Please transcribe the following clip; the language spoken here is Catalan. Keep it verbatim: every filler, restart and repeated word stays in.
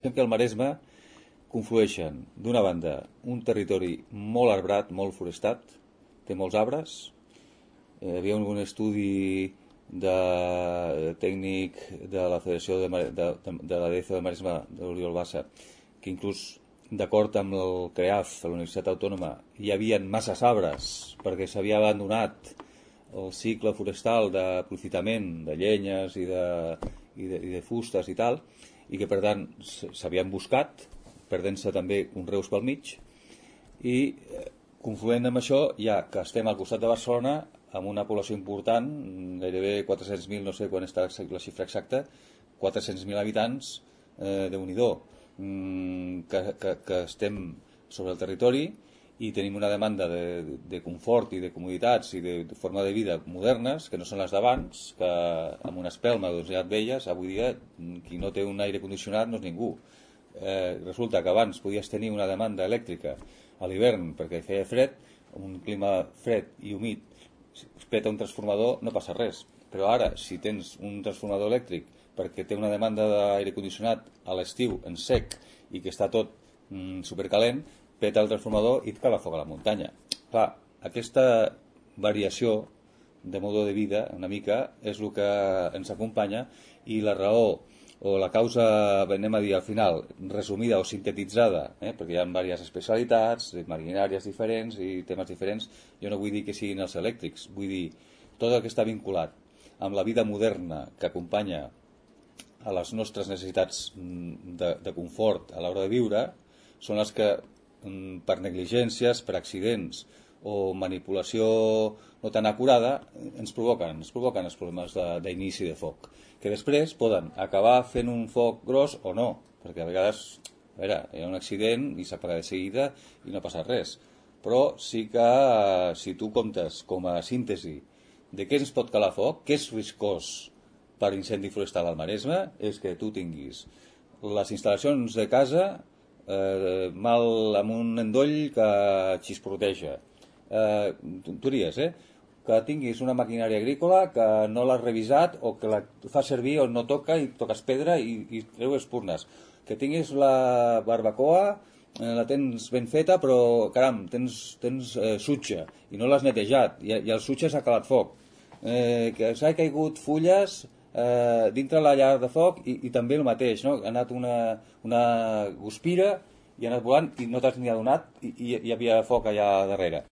Pensem que al Maresme conflueixen, d'una banda, un territori molt arbrat, molt forestat, té molts arbres. Eh, hi havia un estudi de tècnic de la Federació de, de, de, de la D F del Maresme, de l'Oriol Bassa, que inclús d'acord amb el CREAF, a la Universitat Autònoma, hi havia masses arbres perquè s'havia abandonat el cicle forestal d'aprofitament de llenyes i de, i de, i de fustes i tal, i que per tant s'havien buscat, perdent-se també conreus pel mig, i confluent amb això, ja que estem al costat de Barcelona, amb una població important, gairebé quatre-cents mil, no sé quan està la xifra exacta, quatre-cents mil habitants, eh, Déu-n'hi-do, mm, que, que, que estem sobre el territori i tenim una demanda de, de confort i de comoditats i de, de forma de vida modernes, que no són les d'abans, que amb una espelma doncs, ja et veies, avui dia qui no té un aire condicionat no és ningú. Eh, resulta que abans podies tenir una demanda elèctrica a l'hivern perquè feia fred, un clima fred i humit, si es peta un transformador no passa res, però ara si tens un transformador elèctric perquè té una demanda d'aire condicionat a l'estiu en sec i que està tot mm, supercalent, peta el transformador i et cala foc a la muntanya. Clar, aquesta variació de modo de vida una mica és el que ens acompanya, i la raó o la causa, anem a dir al final, resumida o sintetitzada, eh, perquè hi ha diverses especialitats, maquinàries diferents i temes diferents, jo no vull dir que siguin els elèctrics, vull dir tot el que està vinculat amb la vida moderna que acompanya a les nostres necessitats de, de confort a l'hora de viure, són les que per negligències, per accidents o manipulació no tan acurada ens provoquen, ens provoquen els problemes d'inici de, de foc, que després poden acabar fent un foc gros o no, perquè a vegades a veure, hi ha un accident i s'apaga de seguida i no passa res, però sí que si tu comptes com a síntesi de què ens pot calar foc, què és riscós per incendi forestal al Maresme, és que tu tinguis les instal·lacions de casa Eh, mal amb un endoll que xisporroteja, eh, tonteries, eh? que tinguis una maquinària agrícola que no l'has revisat o que la fa servir o no toca i toques pedra i, i treu espurnes, que tinguis la barbacoa, eh, la tens ben feta però caram, tens, tens eh, sutge i no l'has netejat i, i el sutge s'ha calat foc, eh, que s'ha caigut fulles Eh, dintre la llar de foc i, i també el mateix, no? Ha anat una, una guspira i ha anat volant i no t'has ni adonat i, i hi havia foc allà darrere.